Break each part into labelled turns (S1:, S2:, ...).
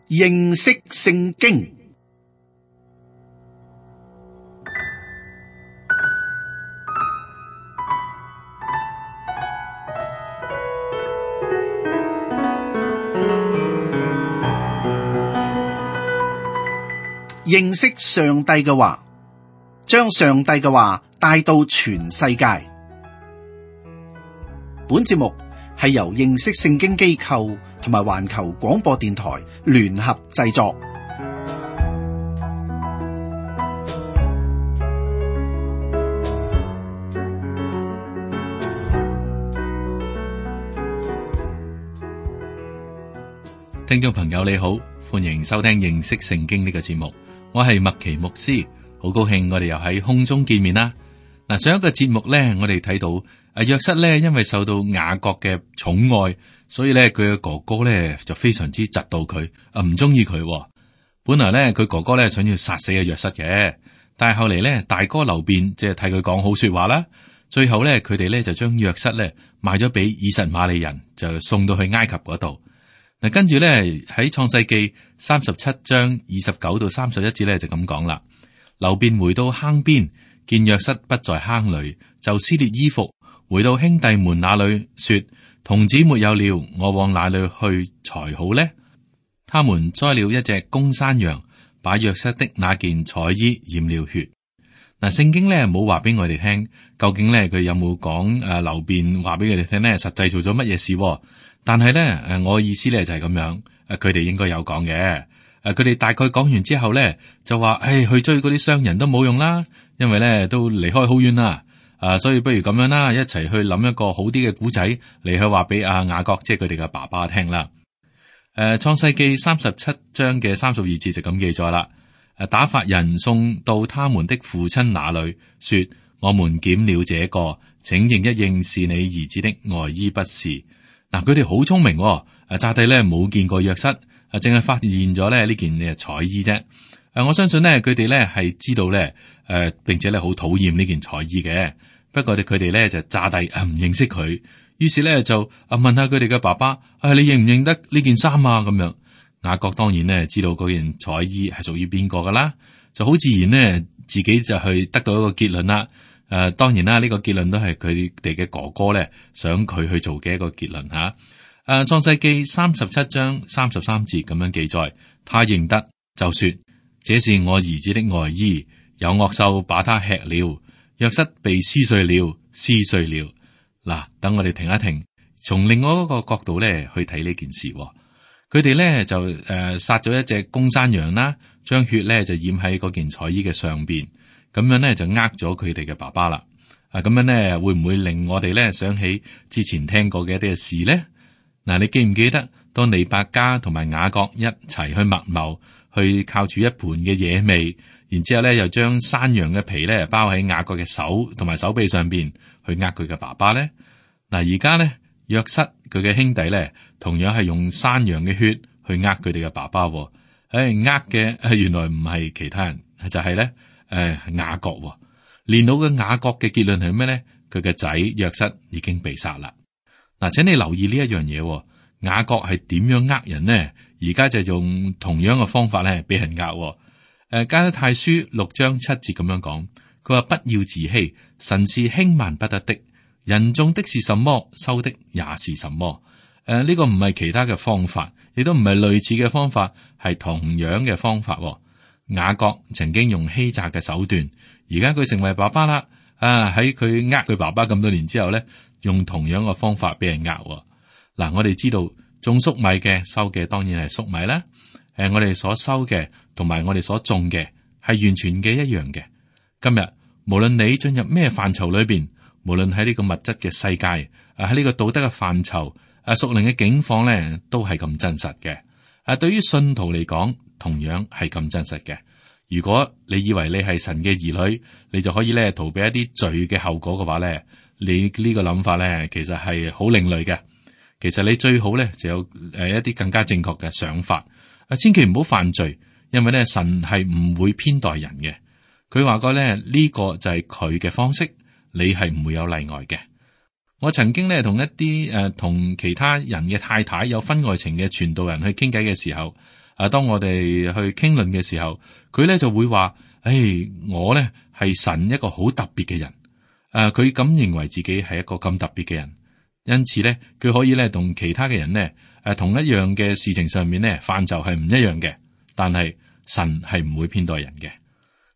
S1: 認識聖經。認識上帝嘅話，將上帝嘅話帶到全世界。本節目係由認識聖經機構同埋環球廣播電台聯合製作。
S2: 聽眾朋友你好，歡迎收聽認識聖經呢個節目。我係麥奇牧師，好高興我哋又喺空中見面啦。嗱，上一個節目咧，我哋睇到約瑟咧，因為受到雅各嘅寵愛，所以咧佢嘅哥哥咧就非常之嫉妒佢，唔中意佢。本來咧佢哥哥咧想要殺死約瑟嘅，但係後嚟咧大哥流便即係替佢講好說話啦。最後咧佢哋咧就將約瑟咧賣咗俾以實瑪利人，就送到去埃及嗰度。嗱，跟住咧喺創世記37章29到31節咧就咁講啦。流便回到坑邊，見約瑟不在坑裏，就撕裂衣服，回到兄弟們那裏，說：童子沒有了，我往哪裏去才好呢？他們宰了一隻公山羊，把約瑟的那件彩衣染了血。嗱，聖經咧冇話俾我哋聽，究竟咧佢有冇講流便話俾佢哋聽咧，實際做咗乜嘢事？但係咧，我意思咧就係咁樣，佢哋應該有講嘅。佢哋大概講完之後咧，就話：去追嗰啲商人都冇用啦，因為咧都離開好遠啦。所以不如咁樣啦，一齊去諗一個好啲嘅古仔嚟去話俾雅各，即係佢哋嘅爸爸聽啦。創世記37章嘅32節就咁記載啦。打發人送到他們的父親那裏，說：我們檢了這個，請認一認是你兒子的外衣不是。嗱，佢哋好聰明，乍睇咧冇見過約瑟，淨係發現咗咧呢件彩衣啫。我相信咧佢哋咧係知道咧，並且咧好討厭呢件彩衣嘅。不過佢哋咧就詐諦唔認識佢，於是咧就問下佢哋嘅爸爸：你認唔認得呢件衫啊？咁樣，雅各當然咧知道嗰件彩衣係屬於邊個噶啦，就好自然咧自己就去得到一個結論啦。當然啦，呢個結論都係佢哋嘅哥哥咧想佢去做嘅一個結論吓。創世記37章33節咁樣記載，他認得就說：這是我兒子的外衣，有惡獸把他吃了。約瑟被撕碎了，撕碎了。嗱，等我哋停一停，從另外一個角度咧去睇呢件事。佢哋咧就殺咗一隻公山羊啦，將血咧就染喺嗰件彩衣嘅上邊。咁樣咧就呃咗佢哋嘅爸爸啦。咁樣咧會唔會令我哋咧想起之前聽過嘅一啲嘅事咧？嗱，你記唔記得當利百加同埋雅各一齊去密謀，去靠住一盤嘅野味，然之後咧又將山羊嘅皮咧包喺雅各嘅手同埋手臂上邊，去呃佢嘅爸爸咧？嗱，而家咧約瑟佢嘅兄弟咧，同樣係用山羊嘅血去呃佢哋嘅爸爸。呃嘅原來唔係其他人，就係咧。雅各年老嘅雅各嘅結論係咩咧？佢嘅仔約瑟已經被殺啦。嗱，請你留意呢一樣嘢，雅各係點樣呃人呢？而家就用同樣嘅方法咧，俾人呃。加拉太書6章7節咁樣講，佢話：不要自欺，神是輕慢不得的。人種的是什麼，收的也是什麼。呢個唔係其他嘅方法，亦都唔係類似嘅方法，係同樣嘅方法。雅各曾經用欺詐嘅手段，而家佢成為爸爸啦。喺佢佢爸爸咁多年之後咧，用同樣嘅方法俾人嗱，我哋知道種粟米嘅收嘅當然係粟米啦。我哋所收嘅同埋我哋所種嘅係完全嘅一樣嘅。今日無論你進入咩範疇裏邊，無論喺呢個物質嘅世界，喺呢個道德嘅範疇，屬靈嘅境況咧，都係咁真實嘅。對於信徒嚟講，同樣係咁真實嘅。如果你以為你係神嘅兒女，你就可以咧逃避一啲罪嘅後果嘅話咧，你呢個諗法咧，其實係好另類嘅。其實你最好咧就有一啲更加正確嘅想法。千祈唔好犯罪，因為咧神係唔會偏待人嘅。佢話過咧呢個就係佢嘅方式，你係唔會有例外嘅。我曾經咧同一啲同其他人嘅太太有婚外情嘅傳道人去傾偈嘅時候，當我哋去傾論嘅時候，佢咧就會話：我咧係神一個好特別嘅人。佢咁認為自己係一個咁特別嘅人，因此咧佢可以咧同其他嘅人呢，同一樣嘅事情上面呢，範疇係唔一樣嘅。但係神係唔會偏待人嘅。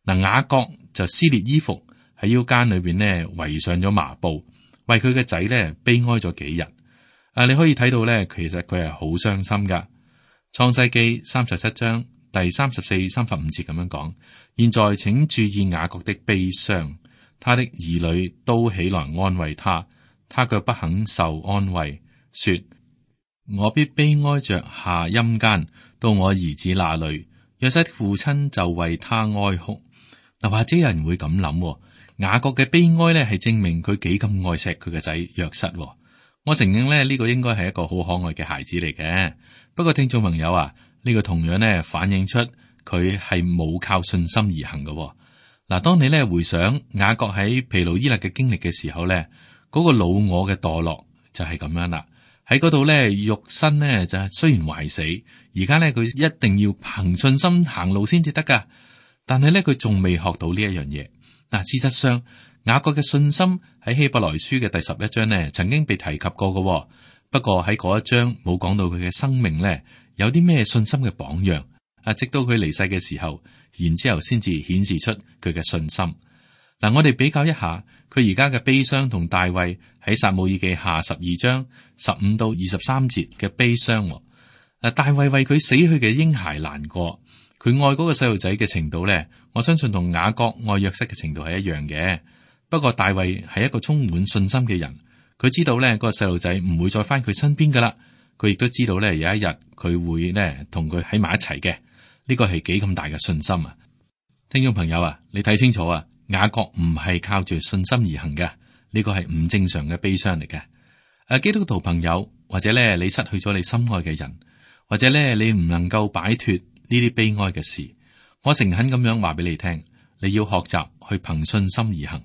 S2: 嗱，雅各就撕裂衣服，喺腰間裏邊呢圍上咗麻布，為佢嘅仔咧悲哀咗幾日。你可以睇到咧，其實佢係好傷心噶。創世記37章第34、35節咁樣講：現在請注意雅各的悲傷，他的兒女都起來安慰他，他卻不肯受安慰，說：我必悲哀着下陰間到我兒子那裏。約瑟的父親就為他哀哭。嗱，或者有人會咁諗，雅各嘅悲哀咧係證明佢幾咁愛錫佢嘅仔約瑟。我承認咧，呢個應該係一個好可愛嘅孩子嚟嘅。不過聽眾朋友啊，呢個同樣咧反映出佢係冇靠信心而行嘅。嗱，當你咧回想雅各喺毗努伊勒嘅經歷嘅時候咧，嗰個老我嘅墮落就係咁樣啦。喺嗰度咧，肉身咧就係雖然壞死，而家咧佢一定要憑信心行路先至得噶。但係咧佢仲未學到呢一樣嘢。嗱，事實上雅各嘅信心喺希伯來書嘅第11章呢曾經被提及過嘅。不過喺嗰一章冇講到佢嘅生命咧有啲咩信心嘅榜樣。直到佢離世嘅時候，然之後先至顯示出佢嘅信心。嗱，我哋比較一下佢而家嘅悲傷同大衛喺撒母耳記下12章15到23節嘅悲傷。大衛為佢死去嘅嬰孩難過，佢愛嗰個細路仔嘅程度咧，我相信同雅各愛約瑟嘅程度係一樣嘅。不過大衛係一個充滿信心嘅人，佢知道咧嗰個細路仔唔會再翻佢身邊噶啦，佢亦都知道咧有一日佢會咧同佢喺埋一齊嘅。呢個係幾咁大嘅信心啊！聽眾朋友啊，你睇清楚啊，雅各唔係靠住信心而行嘅，呢個係唔正常嘅悲傷嚟嘅。基督徒朋友，或者咧你失去咗你心愛嘅人，或者咧你唔能夠擺脫呢啲悲哀嘅事，我誠懇咁樣話俾你聽，你要學習去憑信心而行。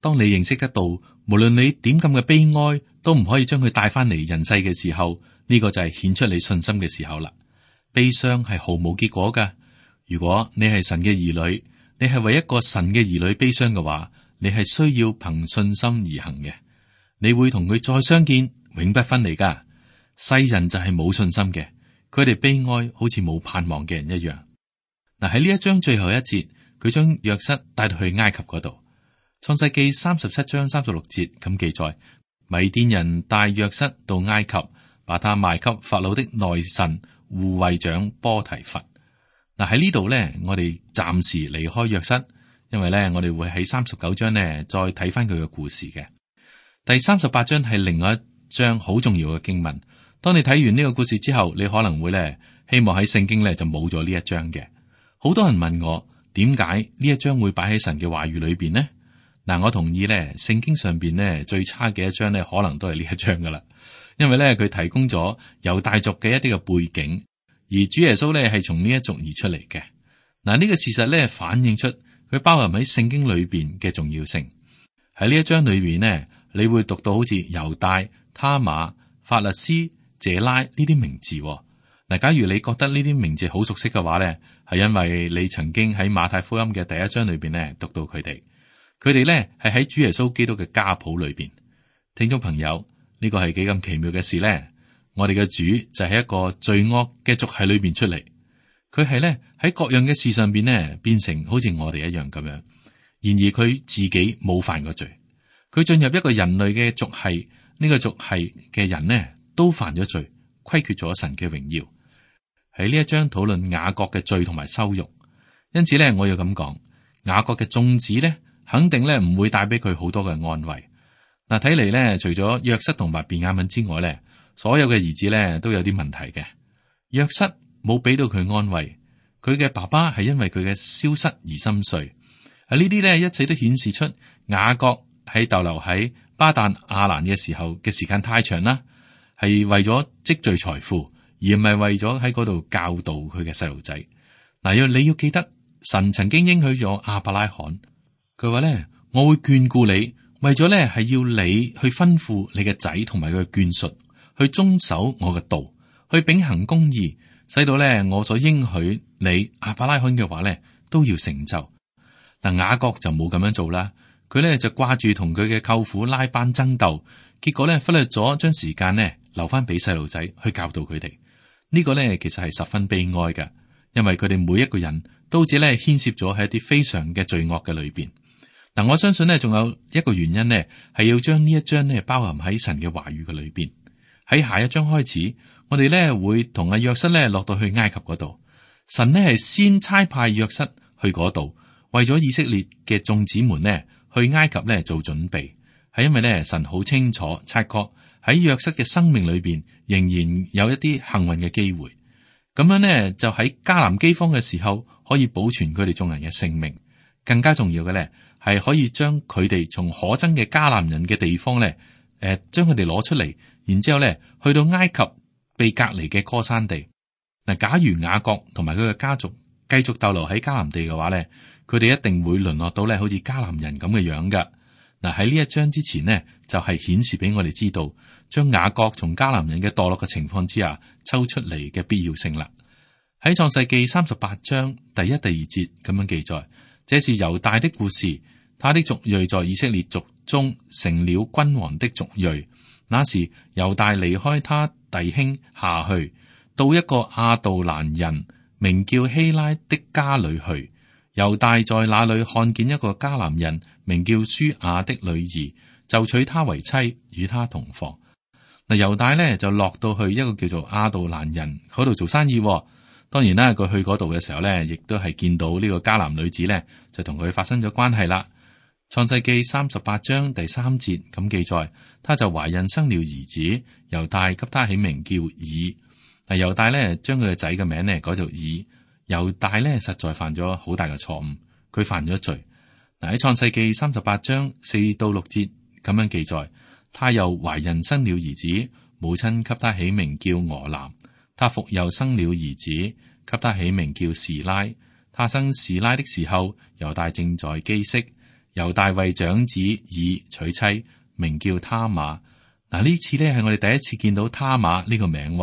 S2: 當你認識得到，無論你點咁嘅悲哀，都唔可以將佢帶翻嚟人世嘅時候，呢個就係顯出你信心嘅時候啦。悲傷係毫無結果噶。如果你係神嘅兒女，你係為一個神嘅兒女悲傷嘅話，你係需要憑信心而行嘅。你會同佢再相見，永不分離噶。世人就係冇信心嘅，佢哋悲哀好似冇盼望嘅人一樣。嗱，喺呢一章最後一節，佢將約瑟帶到去埃及嗰度。創世記37章36節咁記載，米甸人帶約瑟到埃及，把他賣給法老的內臣護衛長波提乏。嗱，喺呢度咧，我哋暫時離開約瑟，因為咧我哋會喺39章呢再睇翻佢嘅故事嘅。第38章係另外一章好重要嘅經文。當你睇完呢個故事之後，你可能會咧希望喺聖經咧就冇咗呢一章嘅。好多人問我點解呢一章會擺喺神嘅話語裏邊呢？嗱，我同意咧，聖經上邊呢最差嘅一章咧，可能都係呢一章噶啦。因為咧，佢提供咗猶大族嘅一啲嘅背景，而主耶穌咧係從呢一族而出嚟嘅。嗱，呢個事實咧反映出佢包含喺聖經裏邊嘅重要性。喺呢一章裏邊呢，你會讀到好似猶大、他瑪、法勒斯、謝拉呢啲名字。嗱，假如你覺得呢啲名字好熟悉嘅話咧，係因為你曾經喺馬太福音嘅第一章裏邊咧讀到佢哋。佢哋咧係喺主耶穌基督嘅家譜裏邊。聽眾朋友，呢個係幾咁奇妙嘅事咧？我哋嘅主就係一個罪惡嘅族系裏邊出嚟，佢係咧喺各樣嘅事上邊咧變成好似我哋一樣咁樣。然而佢自己冇犯過罪，佢進入一個人類嘅族系，呢個族系嘅人呢都犯咗罪，虧缺咗神嘅榮耀。喺呢一章討論雅各嘅罪同埋羞辱，因此咧我要咁講，雅各嘅眾子咧肯定咧唔會帶俾佢好多嘅安慰。嗱，睇嚟咧，除咗約瑟同埋便雅憫之外咧，所有嘅兒子咧都有啲問題嘅。約瑟冇俾到佢安慰，佢嘅爸爸係因為佢嘅消失而心碎。呢啲咧一切都顯示出雅各喺逗留喺巴旦亞蘭嘅時候嘅時間太長啦，係為咗積聚財富，而唔係為咗喺嗰度教導佢嘅細路仔。嗱，你要記得，神曾經應許咗亞伯拉罕，佢話咧，我會眷顧你。為咗咧，係要你去吩咐你嘅仔同埋佢嘅眷屬去遵守我嘅道，去秉行公義，使到咧我所應許你亞伯拉罕嘅話咧都要成就。嗱，雅各就冇咁樣做啦，佢咧就掛住同佢嘅舅父拉班爭鬥，結果咧忽略咗將時間咧留翻俾細路仔去教導佢哋。呢個咧其實係十分悲哀嘅，因為佢哋每一個人都只咧牽涉咗喺一啲非常嘅罪惡嘅裏邊。嗱，我相信咧仲有一個原因咧，係要將呢一章咧包含喺神嘅話語嘅裏邊。喺下一章開始，我哋咧會同阿約瑟咧落到去埃及嗰度。神呢係先差派約瑟去嗰度，為咗以色列嘅眾子們呢去埃及咧做準備。係因為咧神好清楚察覺喺約瑟嘅生命裏邊仍然有一啲幸運嘅機會。咁樣呢，就喺迦南饑荒嘅時候可以保存佢哋眾人嘅性命。更加重要嘅咧係可以將佢哋從可憎嘅迦南人嘅地方咧，將佢哋攞出嚟，然之後咧去到埃及被隔離嘅歌珊地。嗱，假如雅各同埋佢嘅家族繼續逗留喺迦南地嘅話咧，佢哋一定會淪落到咧好似迦南人咁嘅樣噶。嗱，喺呢一章之前呢，就係顯示俾我哋知道，將雅各從迦南人嘅墮落嘅情況之下抽出嚟嘅必要性啦。喺創世記38章第1、第2節咁樣記載，這是猶大的故事，他的族裔在以色列族中成了君王的族裔。那時猶大離開他弟兄下去，到一個亞杜蘭人名叫希拉的家裏去。猶大在那裏看見一個迦南人名叫書亞的女兒，就娶她為妻，與她同房。嗱，猶大呢就落到去一個叫做亞杜蘭人嗰度做生意。當然啦，佢去嗰度嘅時候呢，亦都係見到呢個迦南女子呢，就同佢發生咗關係啦。創世記38章第3節咁記載，他就懷孕生了兒子，猶大給他起名叫以。嗱，猶大呢將佢嘅仔嘅名呢改做以。猶大呢實在犯咗好大嘅錯誤，佢犯咗罪。嗱，喺創世記38章4到6節咁樣記載，他又懷孕生了兒子，母親給他起名叫俄南。他復又生了兒子，給他起名叫示拉。他生示拉的時候，猶大正在基色。猶大為長子以娶妻，名叫他瑪。嗱，呢次呢係我哋第一次見到他瑪呢個名。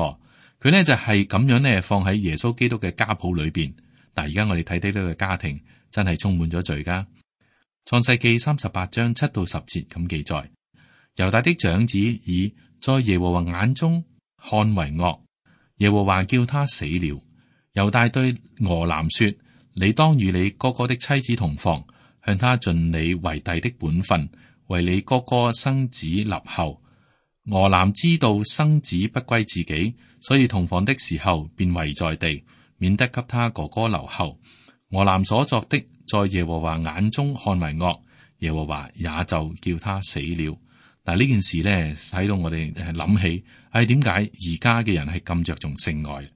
S2: 佢呢就係咁樣呢放喺耶穌基督嘅家譜裏邊。但而家我哋睇睇呢個家庭真係充滿咗罪噶。創世記38章7到10節咁記載，猶大的長子以在耶和華眼中看為惡，耶和華叫他死了。猶大對俄南說：你當與你哥哥的妻子同房，向他盡你為弟的本分，為你哥哥生子立後。俄南知道生子不歸自己，所以同房的時候便遺在地，免得給他哥哥留後。俄南所作的，在耶和華眼中看為惡，耶和華也就叫他死了。嗱，呢件事呢，使到我哋諗起，點解而家嘅人係咁着重性愛？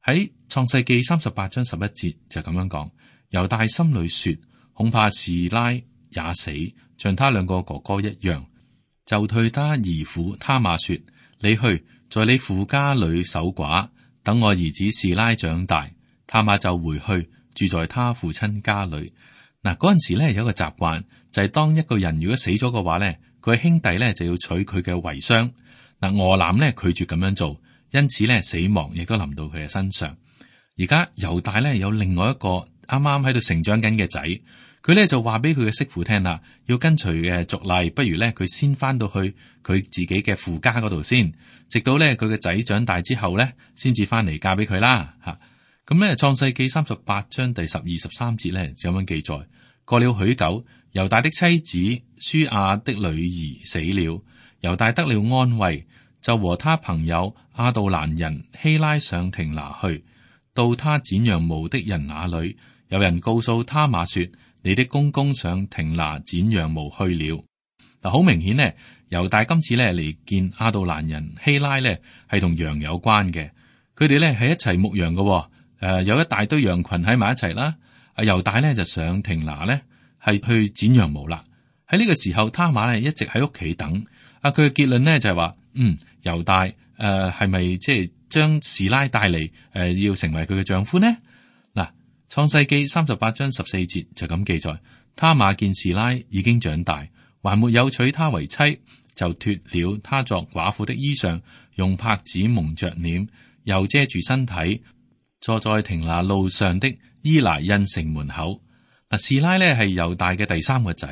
S2: 喺創世記38章11節就咁樣講，猶大心裏說，恐怕示拉也死，像他兩個哥哥一樣，就對他兒婦他瑪說：你去，在你父家裏守寡，等我兒子示拉長大。他瑪就回去，住在他父親家裏。嗱，嗰陣時咧有一個習慣，就係當一個人如果死咗嘅話咧，佢兄弟咧就要取佢嘅遺孀。嗱，俄南咧拒絕咁樣做，因此咧死亡亦都臨到佢嘅身上。而家猶大咧有另外一個啱啱喺度成長緊嘅仔，佢咧就話俾佢嘅媳婦聽啦，要跟隨嘅族例，不如咧佢先翻到去佢自己嘅父家嗰度先，直到咧佢嘅仔長大之後咧，先至翻嚟嫁俾佢啦。吓，咁咧創世記38章第12、13節咧就咁樣記載，過了許久，猶大的妻子書亞的女兒死了，猶大得了安慰，就和他朋友亞杜蘭人希拉上亭拿去，到他剪羊毛的人那裏，有人告訴他瑪說：你的公公上亭拿剪羊毛去了。嗱，好明顯呢，猶大今次咧嚟見亞杜蘭人希拉咧係同羊有關嘅，佢哋咧係一齊牧羊嘅。有一大堆羊群喺埋一齊啦。猶大咧就上亭拿咧係去剪羊毛啦。喺呢個時候，他瑪咧一直喺屋企等。佢嘅結論咧就係話，猶大係咪即係將示拉帶嚟要成為佢嘅丈夫呢？嗱，創世記38章14節就咁記載，他瑪見示拉已經長大，還沒有娶她為妻，就脫了她作寡婦的衣裳，用帕子蒙着臉，又遮住身體，坐在亭拿路上的伊拿印城門口。嗱，示拉呢係猶大嘅第三個仔。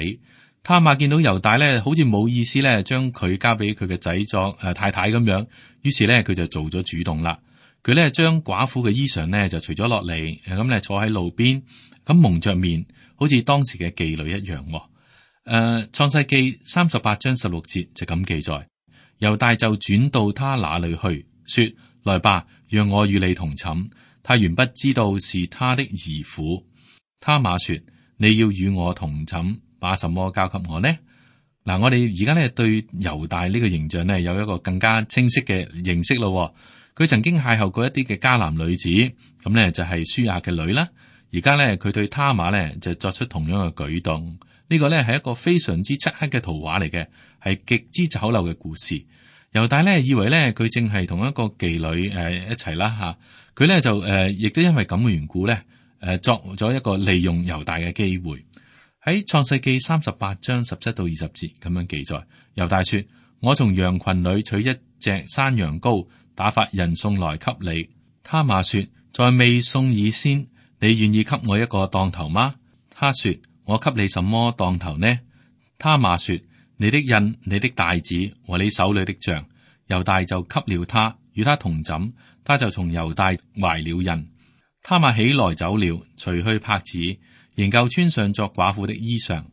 S2: 他瑪見到猶大呢好似冇意思呢將佢交俾佢嘅仔作太太咁樣，於是呢佢就做咗主動啦。佢呢將寡婦嘅衣裳呢就除咗落嚟，咁呢坐喺路邊，咁蒙着面，好似當時嘅妓女一樣。創世記38章16節就咁記載，猶大就轉到他那裏去，說：來吧，讓我與你同寢。他原不知道是他的兒婦。他瑪說：你要與我同寢，把什麼交給我呢？嗱，我哋而家呢對猶大呢個形象呢有一個更加清晰嘅認識咯。佢曾經邂逅過一啲嘅迦南女子，咁呢就係書亞嘅女啦。而家呢，佢對他瑪呢就作出同樣嘅舉動。呢個呢係一個非常之漆黑嘅圖畫嚟嘅，係極之醜陋嘅故事。猶大呢以為呢佢正係同一個妓女一齊啦吓，佢呢就亦都因為咁嘅緣故呢作咗一個利用猶大嘅機會。喺創世記38章17到20節咁樣記載，猶大說：我從羊群裏取一隻山羊羔，打發人送來給你。他瑪說：在未送以先，你願意給我一個當頭嗎？他說：我給你什麼當頭呢？他瑪說：你的印、你的帶子和你手裏的杖。猶大就給了他，與他同枕，他就從猶大懷了孕。他瑪起來走了，除去帕子，仍舊穿上作寡婦的衣裳。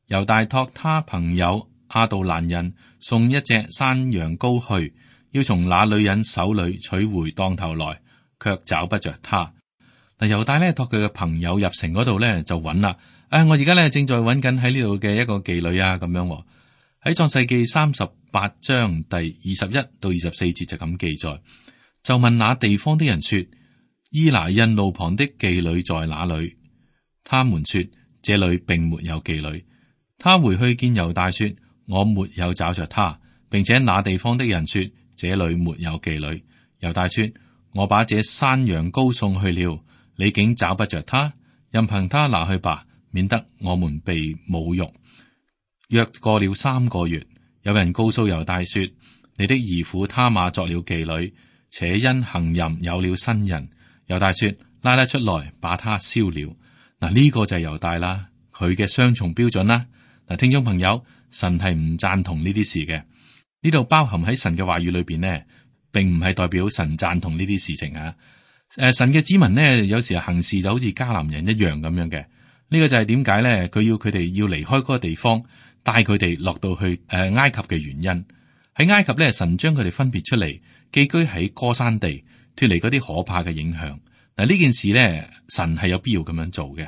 S2: 猶大託他朋友亞杜蘭人送一隻山羊羔去，要從那女人手裏取回當頭來，卻找不着他。嗱，猶大呢託佢嘅朋友入城嗰度呢就揾啦。我而家呢正在揾緊喺呢度嘅一個妓女啊，咁樣喺創世記38章第21到24節就咁記載，就問那地方的人說：伊拿印路旁的妓女在哪裏？他們說：這裏並沒有妓女。他回去見猶大說：我沒有找着他，並且那地方的人說：這裏沒有妓女。猶大說：我把這山羊羔送去了，你竟找不着他，任憑他拿去吧，免得我們被侮辱。約過了3個月，有人告訴猶大說：你的兒婦他瑪作了妓女，且因行淫有了新人。猶大說：拉他出來，把他燒了。嗱，呢個就係猶大啦，佢嘅雙重標準啦。嗱，聽眾朋友，神係唔贊同呢啲事嘅。呢度包含喺神嘅話語裏邊呢，並唔係代表神贊同呢啲事情啊。神嘅子民呢，有時行事就好似迦南人一樣咁樣嘅。呢個就係點解咧？佢要佢哋要離開嗰個地方，帶佢哋落到去埃及嘅原因。喺埃及咧，神將佢哋分別出嚟，寄居喺歌珊地，脫離嗰啲可怕嘅影響。嗱，呢件事咧，神係有必要咁樣做嘅。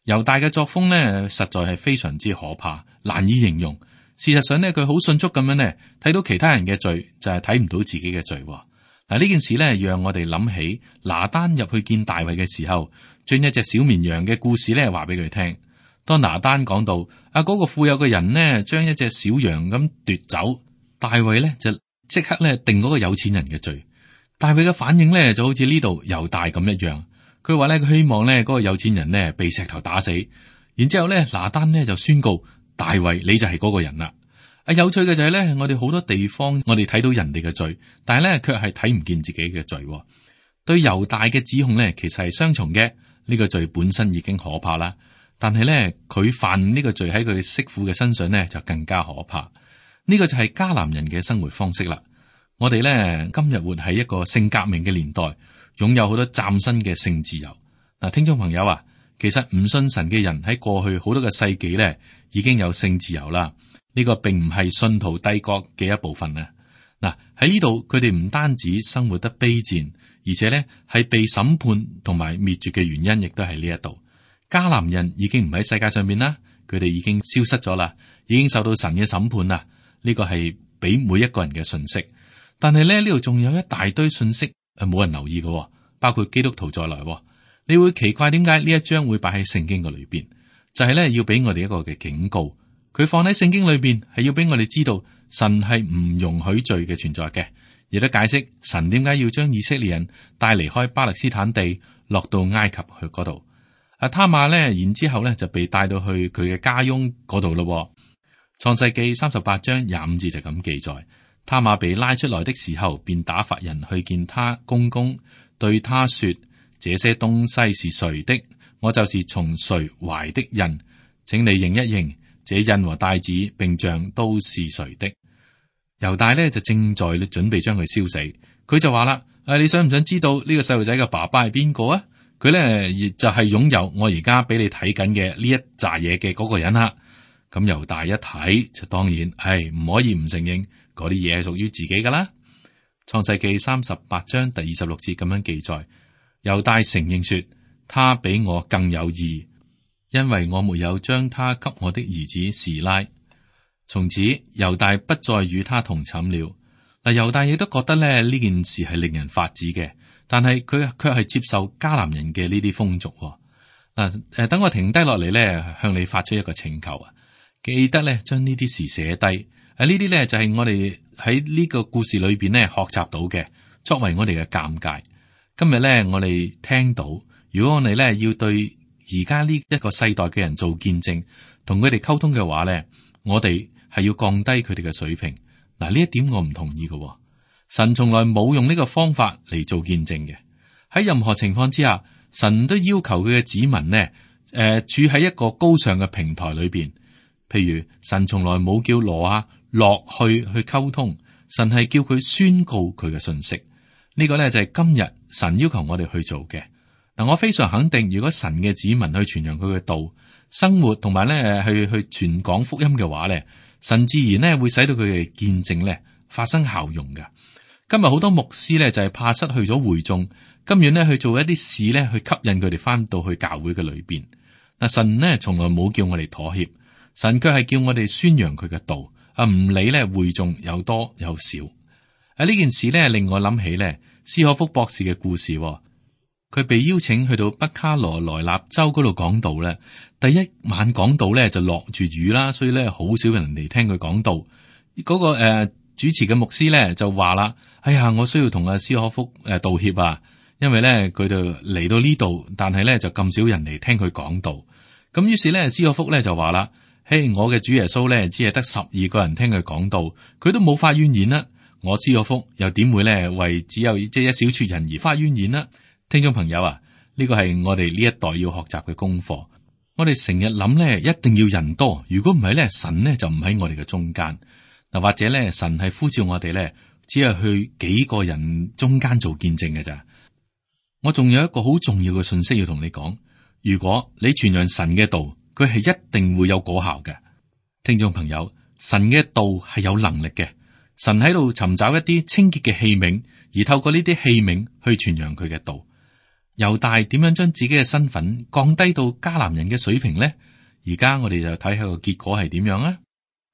S2: 猶大嘅作風咧，實在係非常之可怕，難以形容。事實上咧，佢好迅速咁樣咧，睇到其他人嘅罪，就係睇唔到自己嘅罪。嗱，呢件事咧，讓我哋諗起拿單入去見大衛嘅時候，將一隻小綿羊嘅故事咧話俾佢聽。當拿單講到嗰個富有嘅人呢，將一隻小羊咁奪走，大衛咧就即刻咧定嗰個有錢人嘅罪。大衛嘅反應咧就好似呢度猶大咁一樣，佢話咧佢希望咧嗰個有錢人呢被石頭打死，然之後咧拿單呢就宣告大衛你就係嗰個人啦。有趣嘅就係咧，我哋好多地方我哋睇到人哋嘅罪，但係咧卻係睇唔見自己嘅罪。對猶大嘅指控咧，其實係雙重嘅。呢個罪本身已經可怕啦，但係咧佢犯呢個罪喺佢媳婦嘅身上咧就更加可怕。呢個就係迦南人嘅生活方式啦。我哋咧今日活喺一個性革命嘅年代，擁有好多嶄新嘅性自由。嗱，聽眾朋友啊，其實唔信神嘅人喺過去好多個世紀咧已經有性自由啦。呢個並唔係信徒帝國嘅一部分啊！嗱，喺呢度佢哋唔單止生活得卑賤，而且咧係被審判同埋滅絕嘅原因，亦都係呢一度。迦南人已經唔喺世界上面啦，佢哋已經消失咗啦，已經受到神嘅審判啦。呢個係俾每一個人嘅信息，但係咧呢度仲有一大堆信息冇人留意嘅，包括基督徒在內。你會奇怪點解呢一章會擺喺聖經嘅裏邊？就係咧要俾我哋一個嘅警告。佢放喺聖經裏邊係要俾我哋知道神係唔容許罪嘅存在嘅，亦都解釋神點解要將以色列人帶離開巴勒斯坦地，落到埃及去嗰度。他瑪咧，然之後咧就被帶到去佢嘅家翁嗰度咯。創世記38章25節就咁記載，他瑪被拉出來的時候，便打發人去見他公公，對他說：這些東西是誰的？我就是從誰懷的孕，請你認一認，這印和帶子並像都是誰的？猶大呢就正在準備將佢燒死，佢就話啦：你想唔想知道呢個細路仔嘅爸爸係邊個啊？佢呢就係擁有我而家俾你睇緊嘅呢一紮嘢嘅嗰個人啦。咁猶大一睇就當然係唔可以唔承認嗰啲嘢係屬於自己噶啦。創世記38章第26節咁樣記載，猶大承認說：他比我更有義，因為我沒有將他給我的兒子示拉。從此猶大不再與他同寢了。嗱，猶大亦都覺得咧呢件事係令人髮指嘅，但係佢卻係接受迦南人嘅呢啲風俗。嗱，等我停低落嚟咧，向你發出一個請求啊！記得咧將呢啲事寫低。呢啲咧就係我哋喺呢個故事裏邊咧學習到嘅，作為我哋嘅鑒戒。今日咧我哋聽到，如果我哋咧要對而家呢一個世代嘅人做見證，同佢哋溝通嘅話咧，我哋係要降低佢哋嘅水平。嗱，呢一點我唔同意嘅。神從來冇用呢個方法嚟做見證嘅。喺任何情況之下，神都要求佢嘅子民呢，處喺一個高尚嘅平台裏邊。譬如神從來冇叫挪亞落去溝通，神係叫佢宣告佢嘅信息。呢個呢就係今日神要求我哋去做嘅。嗱，我非常肯定，如果神嘅子民去傳揚佢嘅道、生活同埋咧去傳講福音嘅話咧，神自然咧會使到佢嘅見證咧發生效用嘅。今日好多牧師咧就係怕失去咗會眾，甘願咧去做一啲事咧去吸引佢哋翻到去教會嘅裏邊。嗱，神呢從來冇叫我哋妥協，神卻係叫我哋宣揚佢嘅道，唔理咧會眾有多有少。呢件事咧令我諗起咧斯可福博士嘅故事。佢被邀請去到北卡羅來納州嗰度講道咧，第一晚講道咧就落住雨啦，所以咧好少人嚟聽佢講道。嗰個主持嘅牧師咧就話啦：哎呀，我需要同阿斯可福道歉啊，因為咧佢就嚟到呢度，但係咧就咁少人嚟聽佢講道。咁於是咧斯可福咧就話啦：嘿，我嘅主耶穌咧只係得12個人聽佢講道，佢都冇發怨言啦。我斯可福又點會咧為只有一小撮人而發怨言啦？聽眾朋友啊，呢個係我哋呢一代要學習嘅功課。我哋成日諗咧，一定要人多，如果唔係咧，神咧就唔喺我哋嘅中間。嗱，或者咧，神係呼召我哋咧，只係去幾個人中間做見證嘅咋。我仲有一個好重要嘅信息要同你講，如果你傳揚神嘅道，佢係一定會有果效嘅。聽眾朋友，神嘅道係有能力嘅，神喺度尋找一啲清潔嘅器皿，而透過呢啲器皿去傳揚佢嘅道。猶大點樣將自己嘅身份降低到迦南人嘅水平呢？而家我哋就睇下個結果係點樣啊！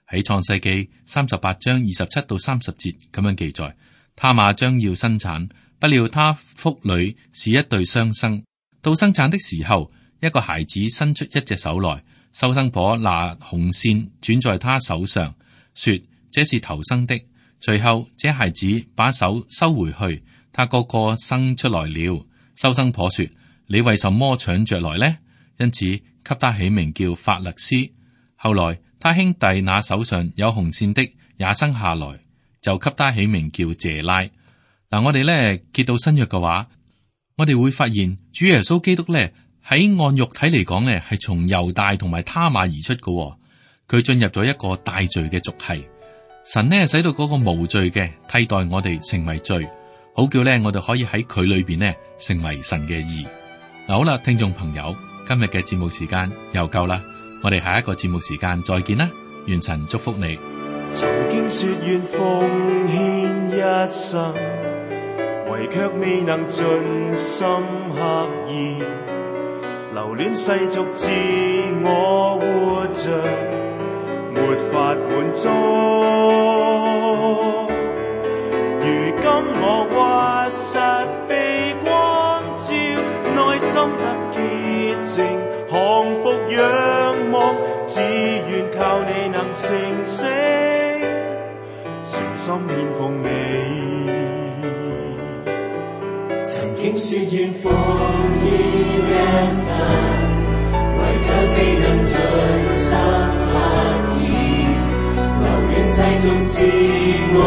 S2: 喺創世記38章27到30節咁樣記載：他瑪將要生產，不料他腹裏是一對雙生。到生產的時候，一個孩子伸出一隻手來，收生婆拿紅線轉在他手上，說：這是頭生的。隨後這孩子把手收回去，他哥哥生出來了。收生婆說：你為什麼搶着來呢？因此給他起名叫法勒斯。後來他兄弟那手上有紅線的也生下來，就給他起名叫謝拉。嗱，我哋咧揭到新約嘅話，我哋會發現主耶穌基督咧喺按肉體嚟講咧係從猶大同埋他瑪而出嘅。佢進入咗一個大罪嘅族系，神呢使到嗰個無罪嘅替代我哋成為罪，好叫咧我哋可以喺佢裏邊呢成為神嘅義。嗱，好啦，聽眾朋友，今日嘅節目時間又夠啦，我哋下一個節目時間再見啦，願神祝福你。
S3: 曾經說願奉獻一生，唯卻未能盡心刻意，留戀世俗自我活着，沒法滿足。如今我屈實被光照，內心得潔淨，降服仰望，只願靠你能成聖，誠心獻奉你。曾經說願奉獻一生，唯卻未能盡心刻意，留戀世俗自我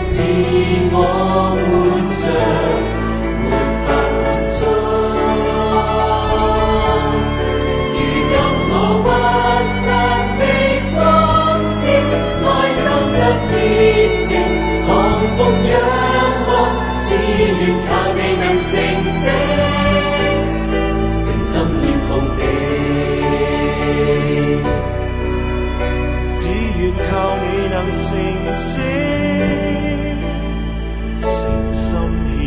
S4: 自我活着，沒法滿足。如今我屈膝的光照，內心得潔淨，降服仰望，只願靠你能成聖，誠心獻奉你。
S3: 只願靠你能成聖，誠心獻